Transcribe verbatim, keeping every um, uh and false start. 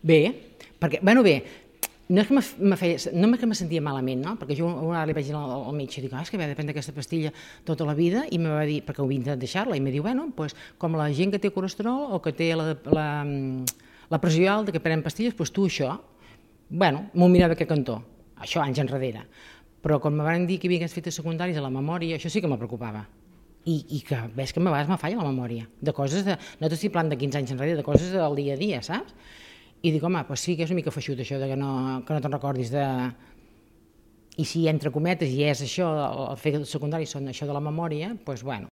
Bé, perquè, bueno, bé, no és que me feia, no és que me sentia malament, no? Perquè jo una vegada li vaig dir al, al metge, dic, ah, és que havia de prendre aquesta pastilla tota la vida, i me va dir, perquè ho havia intentat deixar-la, i me diu, bueno, pues, com la gent que té colesterol o que té la, la, la pressió alta, que prenen pastilles, doncs tu això. Bueno, m'ho mirava aquest cantó, això anys enrere. Però quan me van dir que hi havia aquests efectes secundaris a la memòria, això sí que me preocupava. I, i que ves que a vegades me falla la memòria, de coses, de, no t'estic parlant de quinze anys enrere, de coses del dia a dia, saps? I dic, home, doncs sí que és una mica feixut això, de que no, que no te'n recordis de... I si entre cometes i és això, el fet secundari són això de la memòria, doncs bueno,